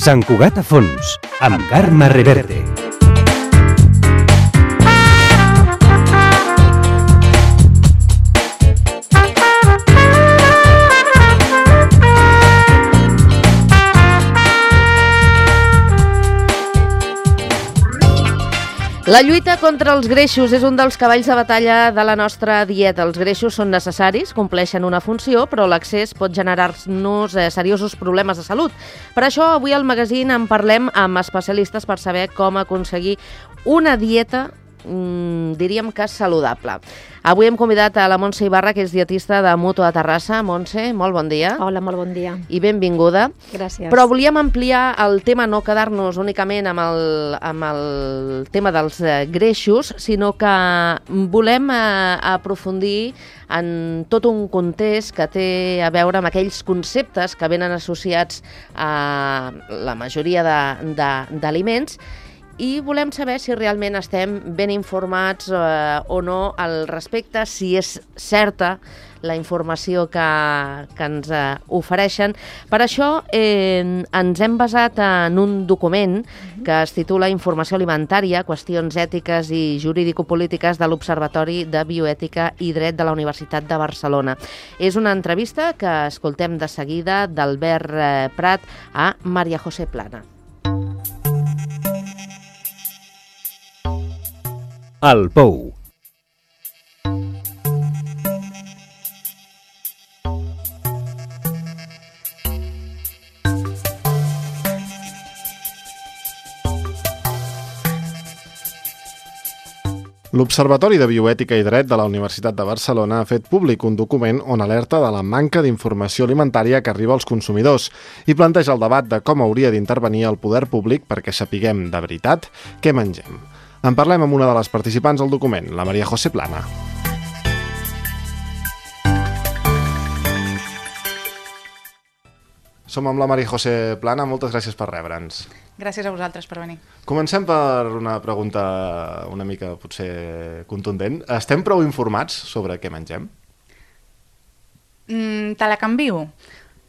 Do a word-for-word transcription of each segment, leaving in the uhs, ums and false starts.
Sant Cugat a fons, amb Carme Reverte. La lluita contra els greixos és un dels cavalls de batalla de la nostra dieta. Els greixos són necessaris, compleixen una funció, però l'accés pot generar-nos eh, seriosos problemes de salut. Per això, avui al magazín en parlem amb especialistes per saber com aconseguir una dieta, mmm, diríem que saludable. Avui hem convidat a la Montse Ibarra, que és dietista de Mutu a Terrassa. Montse, molt bon dia. Hola, molt bon dia. I benvinguda. Gràcies. Però volíem ampliar el tema, no quedar-nos únicament amb el, amb el tema dels eh, greixos, sinó que volem eh, aprofundir en tot un context que té a veure amb aquells conceptes que venen associats a la majoria d'aliments, i volem saber si realment estem ben informats eh, o no al respecte, si és certa la informació que, que ens eh, ofereixen. Per això eh, ens hem basat en un document que es titula Informació alimentària, qüestions ètiques i jurídico-polítiques de l'Observatori de Bioètica i Dret de la Universitat de Barcelona. És una entrevista que escoltem de seguida d'Albert eh, Prat a Maria José Plana. El Pou. L'Observatori de Bioètica i Dret de la Universitat de Barcelona ha fet públic un document on alerta de la manca d'informació alimentària que arriba als consumidors i planteja el debat de com hauria d'intervenir el poder públic perquè sapiguem de veritat què mengem. En parlem amb una de les participants del document, la Maria José Plana. Som amb la Maria José Plana, moltes gràcies per rebre'ns. Gràcies a vosaltres per venir. Comencem per una pregunta una mica potser contundent. Estem prou informats sobre què mengem? Mm, te la canvio.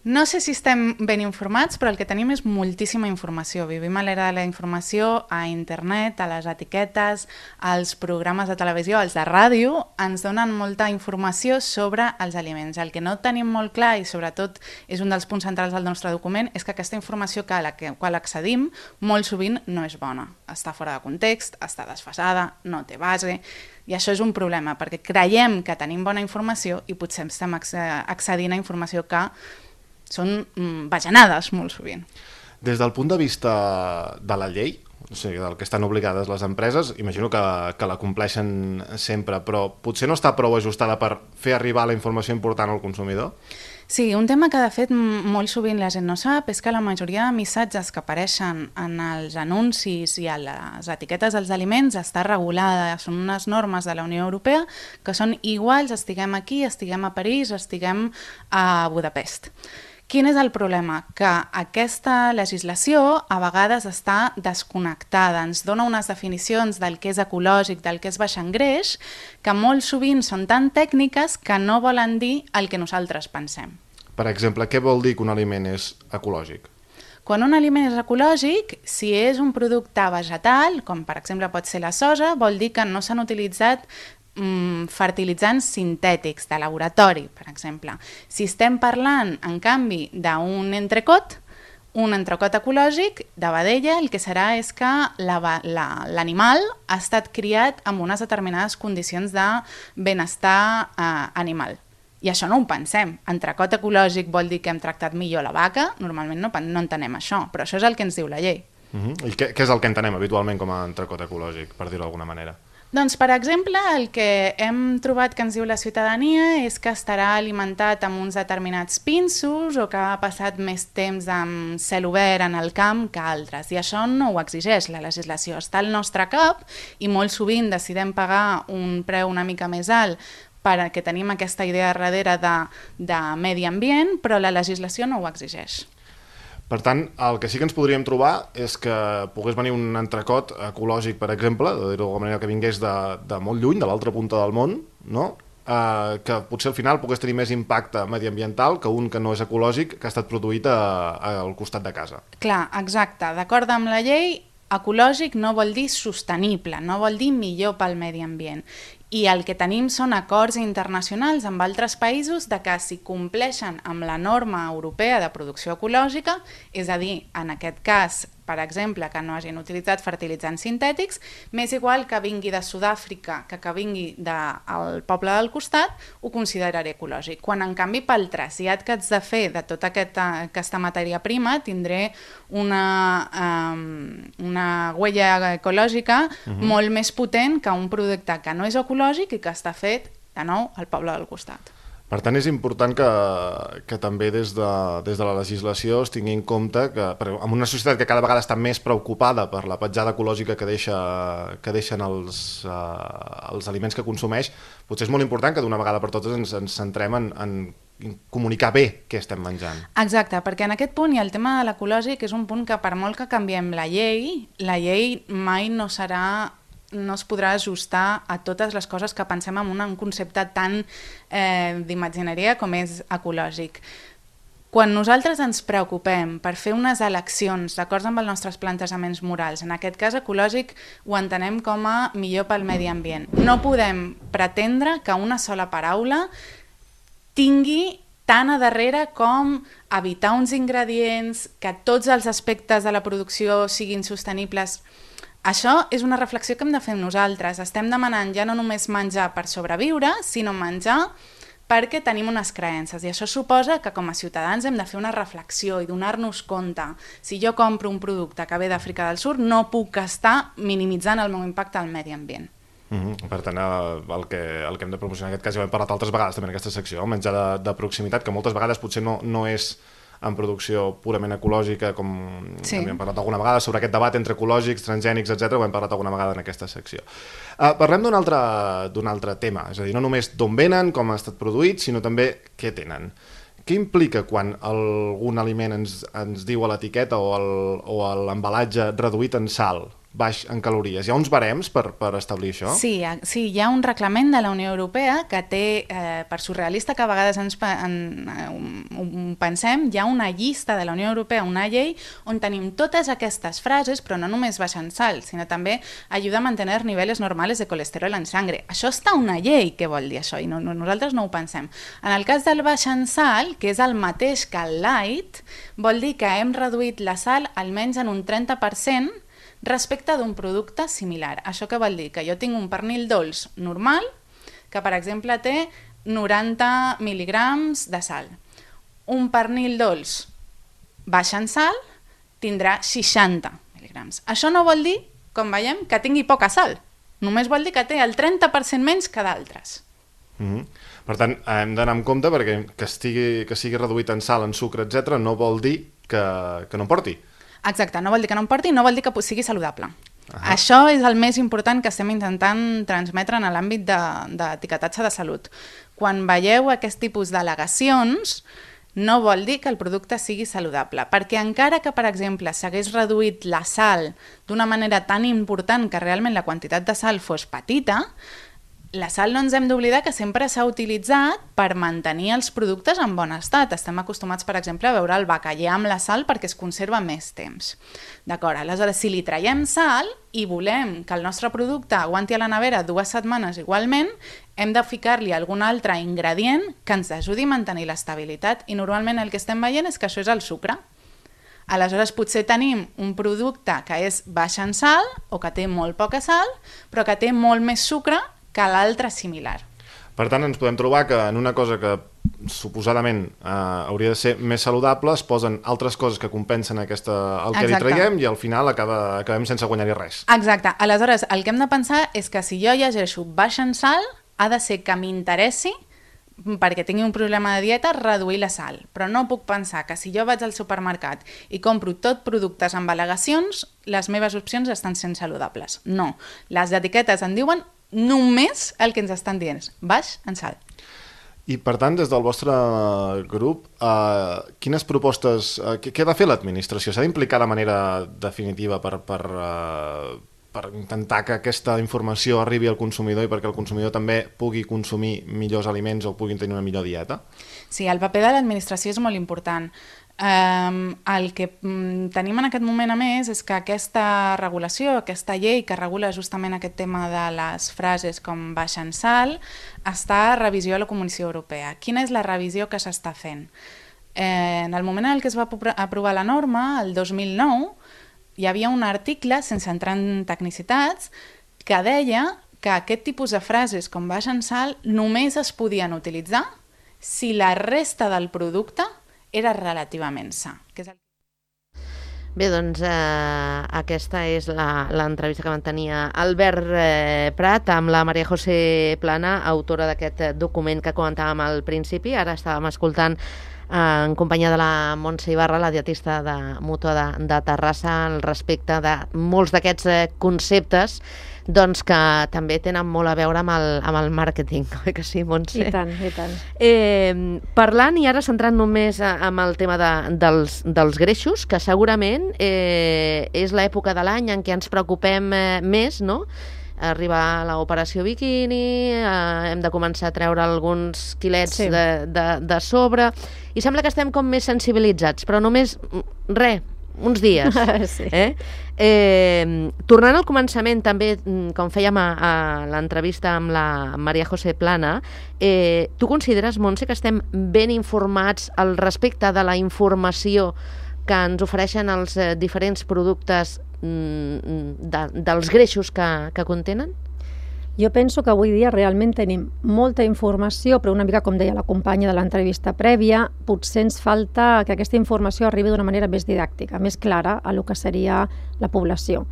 No sé si estem ben informats, però el que tenim és moltíssima informació. Vivim a l'era de la informació, a internet, a les etiquetes, als programes de televisió, als de ràdio, ens donen molta informació sobre els aliments. El que no tenim molt clar, i sobretot és un dels punts centrals del nostre document, és que aquesta informació que a la qual accedim molt sovint no és bona. Està fora de context, està desfasada, no té base, i això és un problema, perquè creiem que tenim bona informació i potser estem accedint a informació que són bajanades molt sovint. Des del punt de vista de la llei, o sigui, del que estan obligades les empreses, imagino que, que la compleixen sempre, però potser no està prou ajustada per fer arribar la informació important al consumidor? Sí, un tema que de fet molt sovint la gent no sap és que la majoria de missatges que apareixen en els anuncis i a les etiquetes dels aliments està regulada, són unes normes de la Unió Europea que són iguals, estiguem aquí, estiguem a París, estiguem a Budapest. Quin és el problema? Que aquesta legislació a vegades està desconnectada, ens dona unes definicions del que és ecològic, del que és baix en greix, que molt sovint són tan tècniques que no volen dir el que nosaltres pensem. Per exemple, què vol dir que un aliment és ecològic? Quan un aliment és ecològic, si és un producte vegetal, com per exemple pot ser la soja, vol dir que no s'han utilitzat fertilitzants sintètics de laboratori, per exemple. Si estem parlant, en canvi, d'un entrecot, un entrecot ecològic de vedella, el que serà és que l'animal ha estat criat amb unes determinades condicions de benestar eh, animal. I això no ho pensem. Entrecot ecològic vol dir que hem tractat millor la vaca? Normalment no, no entenem això, però això és el que ens diu la llei. Uh-huh. I què, què és el que entenem habitualment com a entrecot ecològic, per dir-ho d'alguna manera? Doncs, per exemple, el que hem trobat que ens diu la ciutadania és que estarà alimentat amb uns determinats pinsos o que ha passat més temps amb cel obert en el camp que altres. I això no ho exigeix la legislació. Està al nostre cap i molt sovint decidem pagar un preu una mica més alt perquè tenim aquesta idea darrere de, de medi ambient, però la legislació no ho exigeix. Per tant, el que sí que ens podríem trobar és que pogués venir un entrecot ecològic, per exemple, de dir-ho d'alguna manera, que vingués de, de molt lluny, de l'altra punta del món, no? eh, que potser al final pogués tenir més impacte mediambiental que un que no és ecològic, que ha estat produït a, a, al costat de casa. Clar, exacte. D'acord amb la llei, ecològic no vol dir sostenible, no vol dir millor pel medi ambient. I el que tenim són acords internacionals amb altres països de que si compleixen amb la norma europea de producció ecològica, és a dir, en aquest cas, per exemple, que no hagin utilitzat fertilitzants sintètics, m'és igual que vingui de Sud-àfrica que que vingui del poble del costat, ho consideraré ecològic. Quan, en canvi, pel trasllat que haig de fer de tota aquesta, aquesta matèria prima, tindré una, um, una huella ecològica uh-huh. molt més potent que un producte que no és ecològic i que està fet, de nou, al poble del costat. Per tant, és important que, que també des de, des de la legislació es tingui en compte que en una societat que cada vegada està més preocupada per la petjada ecològica que, deixa, que deixen els, uh, els aliments que consumeix, potser és molt important que d'una vegada per totes ens, ens centrem en, en comunicar bé què estem menjant. Exacte, perquè en aquest punt i el tema de l'ecològic és un punt que per molt que canviem la llei, la llei mai no serà no es podrà ajustar a totes les coses que pensem en un concepte tan eh, d'imagineria com és ecològic. Quan nosaltres ens preocupem per fer unes eleccions d'acord amb els nostres plantejaments morals, en aquest cas ecològic ho entenem com a millor pel medi ambient, no podem pretendre que una sola paraula tingui tant a darrere com evitar uns ingredients, que tots els aspectes de la producció siguin sostenibles. Això és una reflexió que hem de fer nosaltres. Estem demanant ja no només menjar per sobreviure, sinó menjar perquè tenim unes creences. I això suposa que com a ciutadans hem de fer una reflexió i donar-nos compte. Si jo compro un producte que ve d'Àfrica del Sud, no puc estar minimitzant el meu impacte al medi ambient. Mm-hmm. Per tant, el que, el que hem de promocionar en aquest cas, ja ho hem parlat altres vegades també en aquesta secció, el menjar de, de proximitat, que moltes vegades potser no, no és en producció purament ecològica, com sí. hem parlat alguna vegada, sobre aquest debat entre ecològics, transgènics, etcètera, ho hem parlat alguna vegada en aquesta secció. Uh, parlem d'un altre, d'un altre tema, és a dir, no només d'on venen, com ha estat produït, sinó també què tenen. Què implica quan algun aliment ens, ens diu a l'etiqueta o, el, o a l'embalatge reduït en sal, baix en calories? Hi ha uns barems per, per establir això? Sí, sí, hi ha un reglament de la Unió Europea que té, eh, per surrealista que a vegades ens en, en, pensem, hi ha una llista de la Unió Europea, una llei, on tenim totes aquestes frases, però no només baix en sal, sinó també ajuda a mantenir nivells normals de colesterol en sangre. Això està una llei, què vol dir això? I no, no, nosaltres no ho pensem. En el cas del baix en sal, que és el mateix que el light, vol dir que hem reduït la sal almenys en un trenta per cent respecte d'un producte similar. Això què vol dir? Que jo tinc un pernil dolç normal, que per exemple té noranta mil·ligrams de sal. Un pernil dolç baix en sal tindrà seixanta mil·ligrams. Això no vol dir, com veiem, que tingui poca sal. Només vol dir que té el trenta per cent menys que d'altres. Mm-hmm. Per tant, hem d'anar amb compte perquè que, estigui, que sigui reduït en sal, en sucre, etcètera, no vol dir que, que no en porti. Exacte, no vol dir que no en porti, no vol dir que sigui saludable. Ahà. Això és el més important que estem intentant transmetre en l'àmbit d'etiquetatge de, de salut. Quan veieu aquest tipus d'al·legacions, no vol dir que el producte sigui saludable, perquè encara que, per exemple, s'hagués reduït la sal d'una manera tan important que realment la quantitat de sal fos petita, la sal no ens hem d'oblidar que sempre s'ha utilitzat per mantenir els productes en bon estat. Estem acostumats, per exemple, a veure el bacallà amb la sal perquè es conserva més temps. D'acord, aleshores, si li traiem sal i volem que el nostre producte aguanti a la nevera dues setmanes igualment, hem de ficar-li algun altre ingredient que ens ajudi a mantenir l'estabilitat i normalment el que estem veient és que això és el sucre. Aleshores, potser tenim un producte que és baix en sal o que té molt poca sal, però que té molt més sucre que l'altre similar. Per tant, ens podem trobar que en una cosa que suposadament eh, hauria de ser més saludable es posen altres coses que compensen aquesta, el que Exacte. Li traiem i al final acaba, acabem sense guanyar-hi res. Exacte. Aleshores, el que hem de pensar és que si jo llegeixo baix en sal, ha de ser que m'interessi perquè tingui un problema de dieta, reduir la sal. Però no puc pensar que si jo vaig al supermercat i compro tot productes amb al·legacions, les meves opcions estan sent saludables. No. Les etiquetes en diuen només el que ens estan dient, baix en sal. I per tant, des del vostre grup, eh, quines propostes, eh, què ha de fer l'administració? S'ha d'implicar de manera definitiva per, per, eh, per intentar que aquesta informació arribi al consumidor i perquè el consumidor també pugui consumir millors aliments o puguin tenir una millor dieta? Sí, el paper de l'administració és molt important. Um, el que um, tenim en aquest moment, a més, és que aquesta regulació, aquesta llei que regula justament aquest tema de les frases com baix en sal, està a revisió a la Comissió Europea. Quina és la revisió que s'està fent? Eh, en el moment en què es va aprovar la norma, el dos mil nou, hi havia un article, sense entrar en tecnicitats, que deia que aquest tipus de frases com baix en sal només es podien utilitzar si la resta del producte era relativament sa. Que és el... Bé, doncs eh, aquesta és l'entrevista que mantenia Albert eh, Prat amb la Maria José Plana, autora d'aquest document que comentàvem al principi. Ara estàvem escoltant eh, en companyia de la Montse Ibarra, la dietista de Mútua de, de Terrassa, al respecte de molts d'aquests eh, conceptes doncs que també tenen molt a veure amb el, amb el màrqueting, oi que sí, Montse? I tant, i tant. Eh, parlant, i ara centrant només amb el tema de, dels, dels greixos, que segurament eh, és l'època de l'any en què ens preocupem eh, més, no?, arriba l'operació biquini, eh, hem de començar a treure alguns quilets sí. de, de, de sobre, i sembla que estem com més sensibilitzats, però només, res, uns dies. Sí. Eh? Eh, tornant al començament, també, com fèiem a, a l'entrevista amb la Maria José Plana, eh, tu consideres, Montse, que estem ben informats al respecte de la informació que ens ofereixen els eh, diferents productes mm, de, dels greixos que, que contenen? Jo penso que avui dia realment tenim molta informació, però una mica, com deia la companya de l'entrevista prèvia, potser ens falta que aquesta informació arribi d'una manera més didàctica, més clara a lo que seria la població.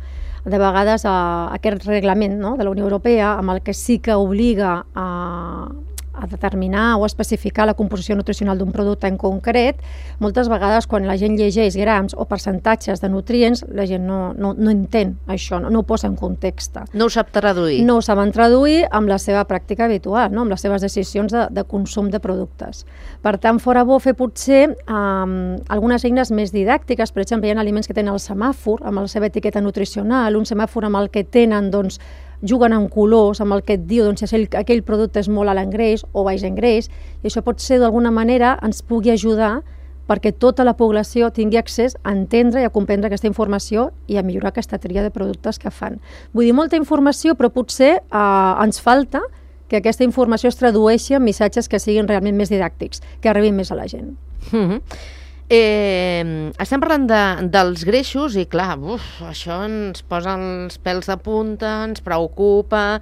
De vegades a aquest reglament, no?, de la Unió Europea, amb el que sí que obliga a, a determinar o a especificar la composició nutricional d'un producte en concret, moltes vegades quan la gent llegeix grams o percentatges de nutrients, la gent no, no, no entén això, no, no ho posa en context. No ho sap traduir. No ho saben traduir amb la seva pràctica habitual, no?, amb les seves decisions de, de consum de productes. Per tant, fora bo fer potser um, algunes eines més didàctiques. Per exemple, hi ha aliments que tenen el semàfor amb la seva etiqueta nutricional, un semàfor amb el que tenen, doncs, juguen amb colors, amb el que et diu doncs, si aquell, aquell producte és molt alt en greix o baix en greix, i això pot ser d'alguna manera ens pugui ajudar perquè tota la població tingui accés a entendre i a comprendre aquesta informació i a millorar aquesta tria de productes que fan. Vull dir, molta informació, però potser eh, ens falta que aquesta informació es tradueixi en missatges que siguin realment més didàctics, que arribin més a la gent. Mm-hmm. Eh, estem parlant de, dels greixos i clar, uf, això ens posa els pèls de punta, ens preocupa,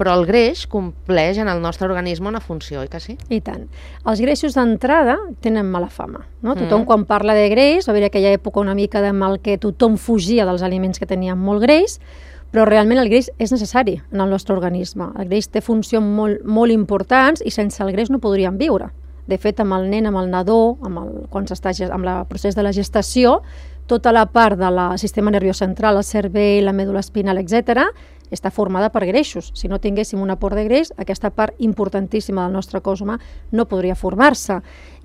però el greix compleix en el nostre organisme una funció, oi que sí? I tant. Els greixos d'entrada tenen mala fama, no? Tothom mm. quan parla de greix, va haver aquella època una mica en el que tothom fugia dels aliments que tenien molt greix, però realment el greix és necessari en el nostre organisme. El greix té funcions molt, molt importants i sense el greix no podríem viure. De fet, amb el nen, amb el nadó, amb el, quan s'està amb el procés de la gestació, tota la part del sistema nerviós central, el cervell, la mèdula espinal, etcètera, està formada per greixos. Si no tinguéssim un aport de greix, aquesta part importantíssima del nostre cos humà no podria formar-se.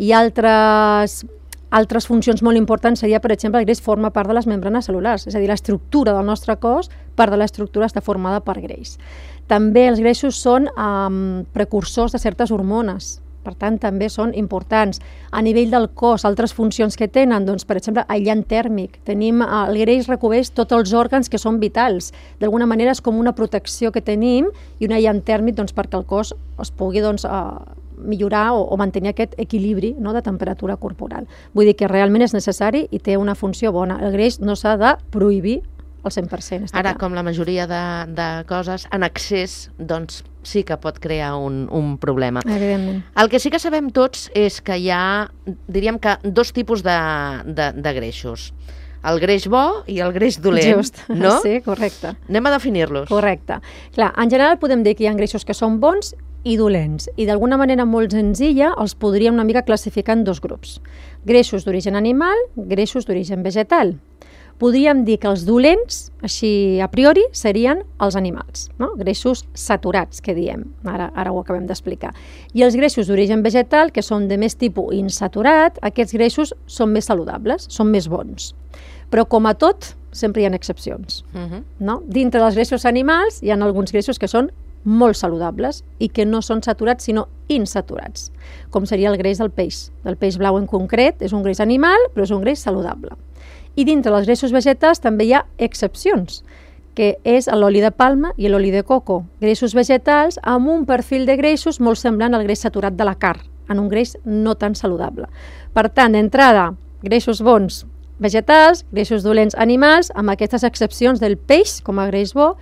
I altres, altres funcions molt importants seria, per exemple, el greix forma part de les membranes cel·lulars, és a dir, l'estructura del nostre cos, part de l'estructura està formada per greix. També els greixos són um, precursors de certes hormones, per tant, també són importants. A nivell del cos, altres funcions que tenen, doncs, per exemple, aïllant tèrmic. Tenim, el greix recobreix tots els òrgans que són vitals. D'alguna manera és com una protecció que tenim i un aïllant tèrmic doncs, perquè el cos es pugui doncs, millorar o, o mantenir aquest equilibri, no?, de temperatura corporal. Vull dir que realment és necessari i té una funció bona. El greix no s'ha de prohibir al cent per cent. Ara, clar, com la majoria de, de coses, en excés, doncs sí que pot crear un, un problema. Evidentment. El que sí que sabem tots és que hi ha, diríem que, dos tipus de, de, de greixos. El greix bo i el greix dolent. Just, no? Sí, correcte. Anem a definir-los. Correcte. Clar, en general podem dir que hi ha greixos que són bons i dolents, i d'alguna manera molt senzilla els podríem una mica classificar en dos grups. Greixos d'origen animal, greixos d'origen vegetal. Podríem dir que els dolents, així a priori, serien els animals, no? Greixos saturats, que diem, ara, ara ho acabem d'explicar. I els greixos d'origen vegetal, que són de més tipus insaturat, aquests greixos són més saludables, són més bons. Però com a tot, sempre hi ha excepcions. Uh-huh. No? Dintre dels greixos animals hi ha alguns greixos que són molt saludables i que no són saturats sinó insaturats, com seria el greix del peix. El peix blau en concret és un greix animal, però és un greix saludable. I dintre dels greixos vegetals també hi ha excepcions, que és l'oli de palma i l'oli de coco, greixos vegetals amb un perfil de greixos molt semblant al greix saturat de la carn, en un greix no tan saludable. Per tant, d'entrada, greixos bons vegetals, greixos dolents animals, amb aquestes excepcions del peix com a greix bo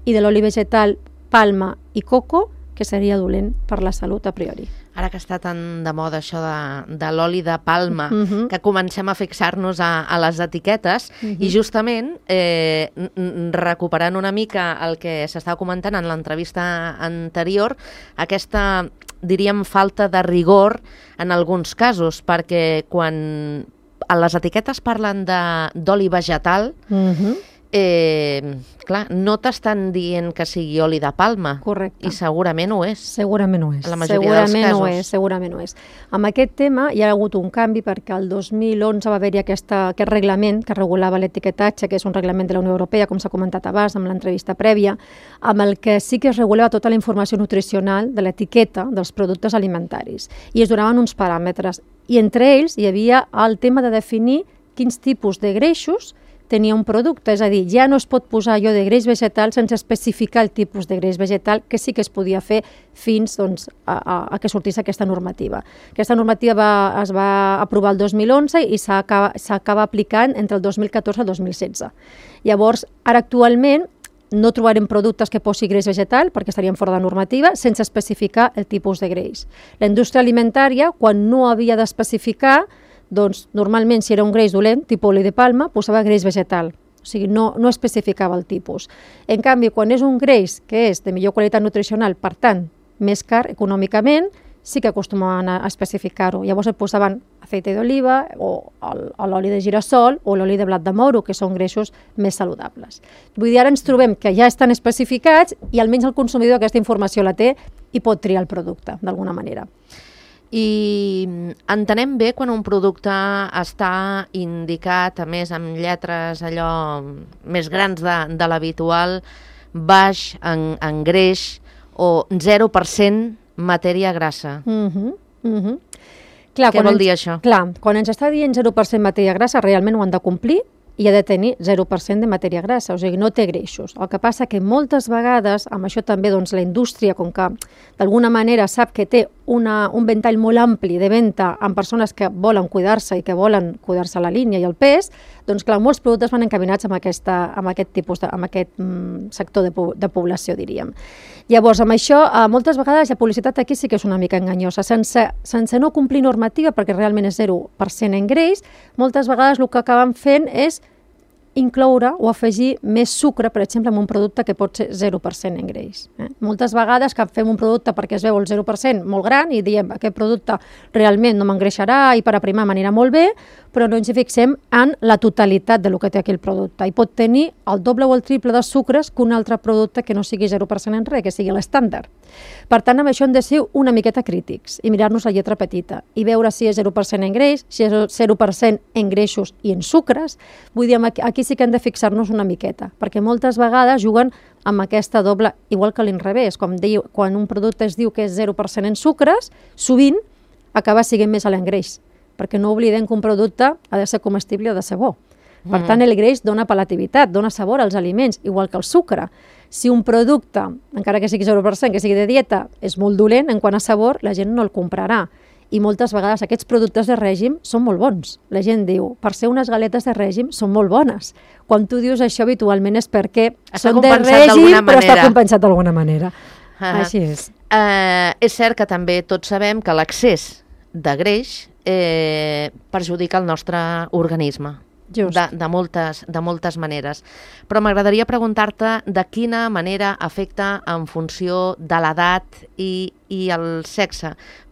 i de l'oli vegetal palma i coco, que seria dolent per la salut a priori. Ara que està tan de moda això de, de l'oli de palma, Uh-huh. que comencem a fixar-nos a, a les etiquetes, Uh-huh. i justament eh, n- n- recuperant una mica el que s'estava comentant en l'entrevista anterior, aquesta, diríem, falta de rigor en alguns casos, perquè quan a les etiquetes parlen de- d'oli vegetal, Uh-huh. eh, clar, no t'estan dient que sigui oli de palma. Correcte. I segurament ho és. Segurament ho és. En la majoria dels segurament casos. Ho és, segurament ho és. Amb aquest tema hi ha hagut un canvi perquè el dos mil onze va haver-hi aquesta, aquest reglament que regulava l'etiquetatge, que és un reglament de la Unió Europea, com s'ha comentat abans amb l'entrevista prèvia, amb el que sí que es regulava tota la informació nutricional de l'etiqueta dels productes alimentaris. I es donaven uns paràmetres. I entre ells hi havia el tema de definir quins tipus de greixos tenia un producte, és a dir, ja no es pot posar allò de greix vegetal sense especificar el tipus de greix vegetal, que sí que es podia fer fins doncs, a, a, a que sortís aquesta normativa. Aquesta normativa va, es va aprovar el dos mil onze i s'acaba aplicant entre el dos mil catorze i el dos mil setze. Llavors, ara actualment no trobarem productes que posi greix vegetal perquè estarien fora de normativa sense especificar el tipus de greix. La indústria alimentària, quan no havia d'especificar, doncs normalment si era un greix dolent, tipus oli de palma, posava greix vegetal, o sigui, no, no especificava el tipus. En canvi, quan és un greix que és de millor qualitat nutricional, per tant, més car econòmicament, sí que acostumaven a especificar-ho. Llavors et posaven aceite d'oliva o l'oli de girassol o l'oli de blat de moro, que són greixos més saludables. Vull dir, ara ens trobem que ja estan especificats i almenys el consumidor aquesta informació la té i pot triar el producte, d'alguna manera. I entenem bé quan un producte està indicat, a més amb lletres allò més grans de, de l'habitual, baix en, en greix o zero per cent matèria grassa. Uh-huh, uh-huh. Clar, Què vol ens, dir això? Clar, quan ens està dient zero per cent matèria grassa, realment ho han de complir i ha de tenir zero per cent de matèria grassa, o sigui, no té greixos. El que passa que moltes vegades, amb això també doncs, la indústria, com que d'alguna manera sap que té una, un ventall molt ampli de venda amb persones que volen cuidar-se i que volen cuidar-se la línia i el pes, doncs clar, molts productes van encaminats amb, aquesta, amb aquest tipus de, amb aquest mm, sector de, de població, diríem. Llavors, amb això, eh, moltes vegades la publicitat aquí sí que és una mica enganyosa. Sense, sense no complir normativa, perquè realment és zero per cent en greix, moltes vegades el que acaben fent és incloure o afegir més sucre, per exemple, en un producte que pot ser zero per cent en greix. Eh? Moltes vegades que fem un producte perquè es veu el zero per cent molt gran i diem aquest producte realment no m'engreixarà i per aprimar m'anirà molt bé, però no ens hi fixem en la totalitat del que té aquí el producte. I pot tenir el doble o el triple de sucres que un altre producte que no sigui zero per cent en res, que sigui l'estàndard. Per tant, amb això hem de ser una miqueta crítics i mirar-nos la lletra petita i veure si és zero per cent en greix, si és zero per cent en greixos i en sucres. Vull dir, aquí sí que hem de fixar-nos una miqueta, perquè moltes vegades juguen amb aquesta doble, igual que l'inrevés, com diu, quan un producte es diu que és zero per cent en sucres, sovint acaba sent més alt en greix, perquè no oblidem que un producte ha de ser comestible o ha de ser bo. Per tant, el greix dona palatabilitat, dona sabor als aliments, igual que el sucre. Si un producte, encara que sigui zero per cent, que sigui de dieta, és molt dolent en quant a sabor, la gent no el comprarà. I moltes vegades aquests productes de règim són molt bons. La gent diu, per ser unes galetes de règim són molt bones. Quan tu dius això habitualment és perquè està són de règim, però està compensat d'alguna manera. Uh-huh. Així és. Uh, és cert que també tots sabem que l'excés de greix eh, perjudica el nostre organisme. Just. De, de, moltes, de moltes maneres. Però m'agradaria preguntar-te de quina manera afecta en funció de l'edat i, i el sexe,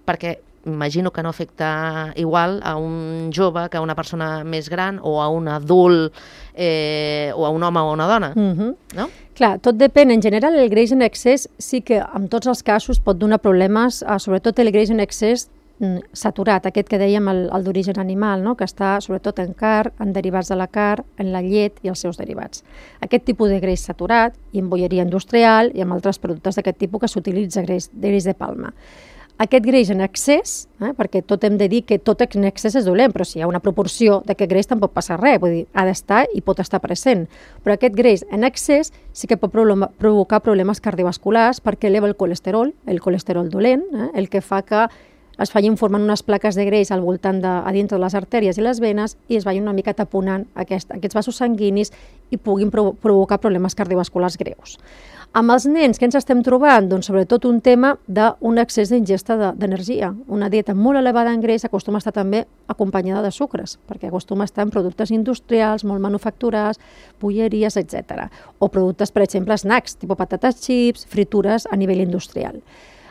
perquè imagino que no afecta igual a un jove que a una persona més gran o a un adult eh, o a un home o una dona, Uh-huh. no? Clar, tot depèn. En general, el greix en excés sí que en tots els casos pot donar problemes, eh, sobretot el greix en excés saturat, aquest que dèiem, el, el d'origen animal, no? Que està sobretot en carn, en derivats de la carn, en la llet i els seus derivats. Aquest tipus de greix saturat, i en bolleria industrial, i amb altres productes d'aquest tipus que s'utilitza greix, greix de palma. Aquest greix en excés, eh, perquè tot hem de dir que tot en excés és dolent, però si hi ha una proporció d'aquest greix tampoc passa res, vull dir, ha d'estar i pot estar present. Però aquest greix en excés sí que pot problema, provocar problemes cardiovasculars perquè eleva el colesterol, el colesterol dolent, eh, el que fa que es vagin formant unes plaques de greix al voltant de, a dintre de les artèries i les venes i es vagin una mica taponant aquest, aquests vasos sanguinis i puguin provo provocar problemes cardiovasculars greus. Amb els nens, què ens estem trobant? Doncs sobretot un tema d'un excés d'ingesta d'energia. Una dieta molt elevada en greix acostuma a estar també acompanyada de sucres, perquè acostuma a estar en productes industrials, molt manufacturats, bolleries, etcètera. O productes, per exemple, snacks, tipus patates xips, fritures a nivell industrial.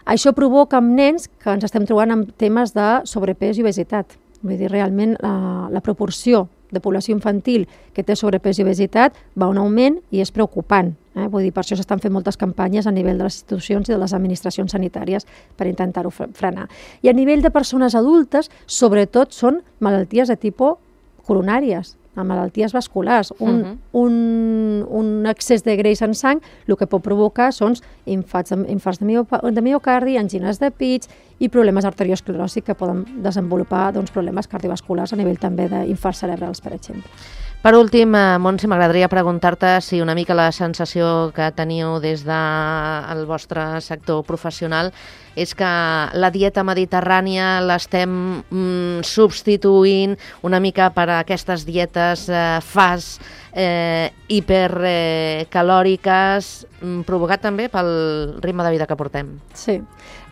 Això provoca amb nens que ens estem trobant amb temes de sobrepès i obesitat. Vull dir, realment la, la proporció de població infantil que té sobrepès i obesitat va a un augment i és preocupant. Eh? Vull dir, per això s'estan fent moltes campanyes a nivell de les institucions i de les administracions sanitàries per intentar-ho frenar. I a nivell de persones adultes, sobretot són malalties de tipus coronàries, amb malalties vasculars. Un, uh -huh. un, un excés de greix en sang el que pot provocar són infarts de, infarts de, mio, de miocardi, angines de pits i problemes arteriosclerosis que poden desenvolupar doncs, problemes cardiovasculars a nivell també d'infarts cerebrals, per exemple. Per últim, eh, Montse, m'agradaria preguntar-te si una mica la sensació que teniu des del vostre sector professional és que la dieta mediterrània l'estem mm, substituint una mica per aquestes dietes eh, fast, eh, hipercalòriques, eh, provocat també pel ritme de vida que portem. Sí,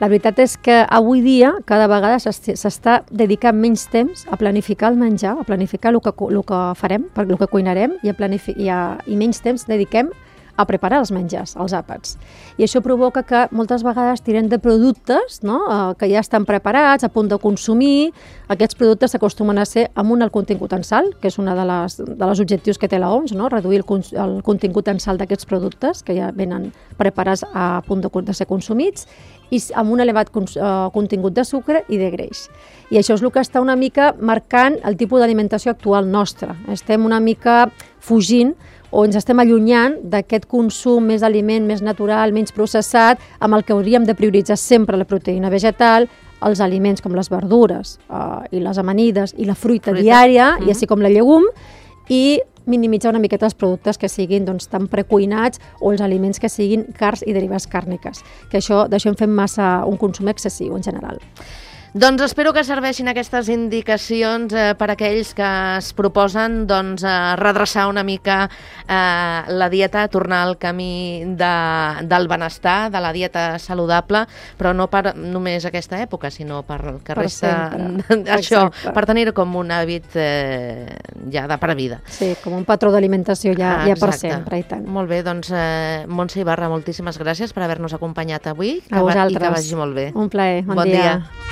la veritat és que avui dia cada vegada s'està dedicant menys temps a planificar el menjar, a planificar el que, el que farem, el que cuinarem, i, a i, a, i menys temps dediquem a preparar els menjars, els àpats. I això provoca que moltes vegades tirem de productes, no?, eh, que ja estan preparats, a punt de consumir. Aquests productes s'acostumen a ser amb un alt contingut en sal, que és un de les, de les objectius que té la O M S, no?, reduir el, el contingut en sal d'aquests productes que ja venen preparats a punt de, de ser consumits, i amb un elevat uh, contingut de sucre i de greix. I això és el que està una mica marcant el tipus d'alimentació actual nostra. Estem una mica fugint o ens estem allunyant d'aquest consum més d'aliment, més natural, menys processat, amb el que hauríem de prioritzar sempre la proteïna vegetal, els aliments com les verdures uh, i les amanides i la fruita, fruita. diària, mm-hmm. i així com la llegum, i minimitzar una miqueta els productes que siguin doncs, tan precuinats o els aliments que siguin carns i derivats càrniques, que això d'això en fem massa un consum excessiu en general. Doncs espero que serveixin aquestes indicacions eh, per a aquells que es proposen doncs, eh, redreçar una mica eh, la dieta, tornar al camí de, del benestar, de la dieta saludable, però no per només aquesta època, sinó per que per resta això, Exacte. per tenir com un hàbit eh, ja de per vida. Sí, com un patró d'alimentació ja, ah, ja per sempre, i tant. Molt bé, doncs eh, Montse Ibarra, moltíssimes gràcies per haver-nos acompanyat avui. A vosaltres. I que vagi molt bé. Un plaer, bon, bon dia. dia.